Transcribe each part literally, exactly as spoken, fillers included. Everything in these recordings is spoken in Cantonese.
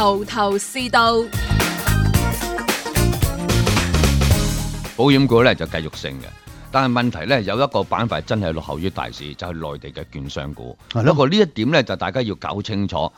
頭頭是道。保險股咧就繼續升嘅，但係問題咧有一個板塊真係落後於大市，就係、是、內地嘅券商股。不過呢一點咧就大家要搞清楚，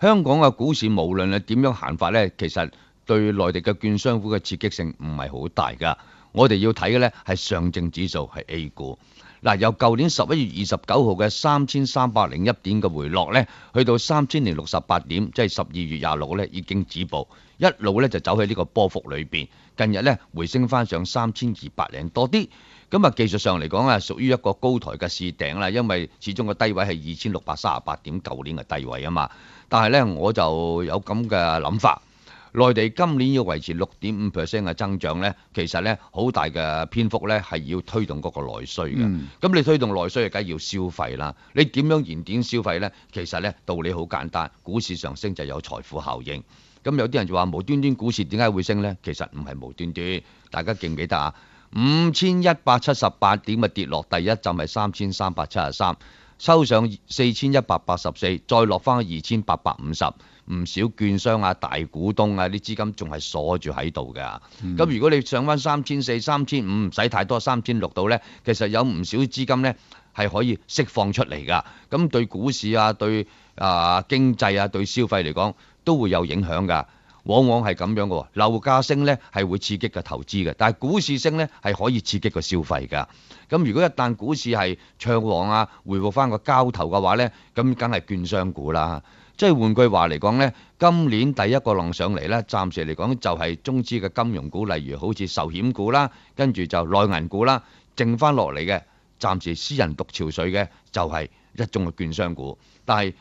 香港嘅股市無論係點樣行法咧，其實對內地嘅券商股嘅刺激性唔係好大㗎。我哋要睇嘅咧係上證指數，係 A 股。嗱，由舊年十一月二十九號嘅三千三百零一點嘅回落咧，去到三千零六十八點，即係十二月廿六咧已經止步，一路咧就走喺呢個波幅裏邊。近日咧回升翻上三千二百零多啲，咁啊技術上嚟講啊，屬於一個高台嘅試頂啦，因為始終個低位係二千六百三十八點，舊年嘅低位啊嘛。但係咧我就有咁嘅諗法。內地今年要維持六點五 percent 嘅增長咧，其實咧好大嘅篇幅咧係要推動嗰個內需嘅。咁、嗯、你推動內需，梗係要消費啦。你點樣燃點消費咧？其實咧道理好簡單，股市上升就有財富效應。咁有啲人就話無端端股市點解會升咧？其實唔係無端端，大家記唔記得啊？五千一百七十八點嘅跌落，第一陣係三千三百七十三，收上四千一百八十四，再落翻二千八百五十。唔少券商啊、大股東啊啲資金仲係鎖住喺度㗎。咁、嗯、如果你上翻三千四、三千五，唔使太多，三千六度咧，其實有唔少資金咧係可以釋放出嚟㗎。咁對股市啊、對啊、呃、經濟啊、對消費嚟講都會有影響㗎。往往係咁樣嘅，樓價升咧係會刺激個投資嘅，但係股市升咧係可以刺激個消費㗎。咁如果一旦股市係暢旺啊，回復翻個交投嘅話咧，咁梗係券商股啦。即係換句話嚟講咧，今年第一個浪上嚟咧，暫時嚟講就係中資嘅金融股，例如好似壽險股啦，跟住就內銀股啦，剩翻落嚟嘅暫時私人獨潮水嘅就係一眾嘅券商股。但係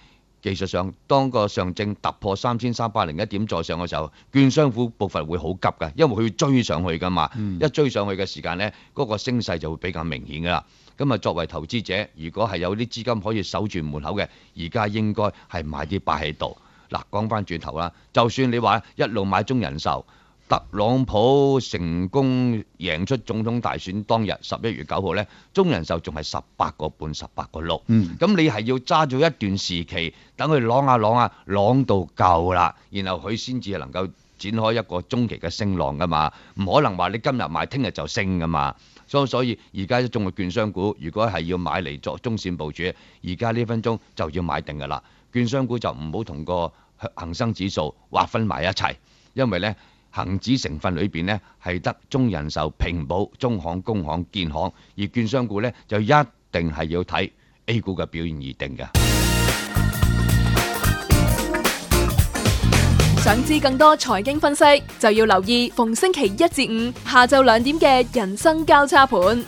技術上，當個上證突破三千三百零一點再上嘅時候，券商股步伐會好急㗎，因為佢要追上去㗎嘛。嗯、一追上去嘅時間咧，嗰、嗰個升勢就會比較明顯㗎啦。咁啊，作為投資者，如果係有啲資金可以守住門口嘅，而家應該係買啲擺喺度。嗱，講翻轉頭啦，就算你話一路買中人壽，特朗普成功贏出總統大選當日十一月九號咧，中人壽仲係十八個半、十八個六。嗯，咁你係要揸咗一段時期，等佢啷下啷下啷到夠啦，然後佢先至能夠展開一個中期嘅升浪噶嘛。唔可能話你今日買，聽日就升噶嘛。所以所以而家一眾嘅券商股，如果係要買嚟作中線部署，而家呢分鐘就要買定噶啦。券商股就唔好同個恒生指數劃分埋一齊，因為咧恒指成分裏邊咧係得中人壽、平保、中行、工行、建行，而券商股咧就一定係要睇 A 股嘅表現而定嘅。想知更多財經分析，就要留意逢星期一至五下晝兩點嘅人生交叉盤。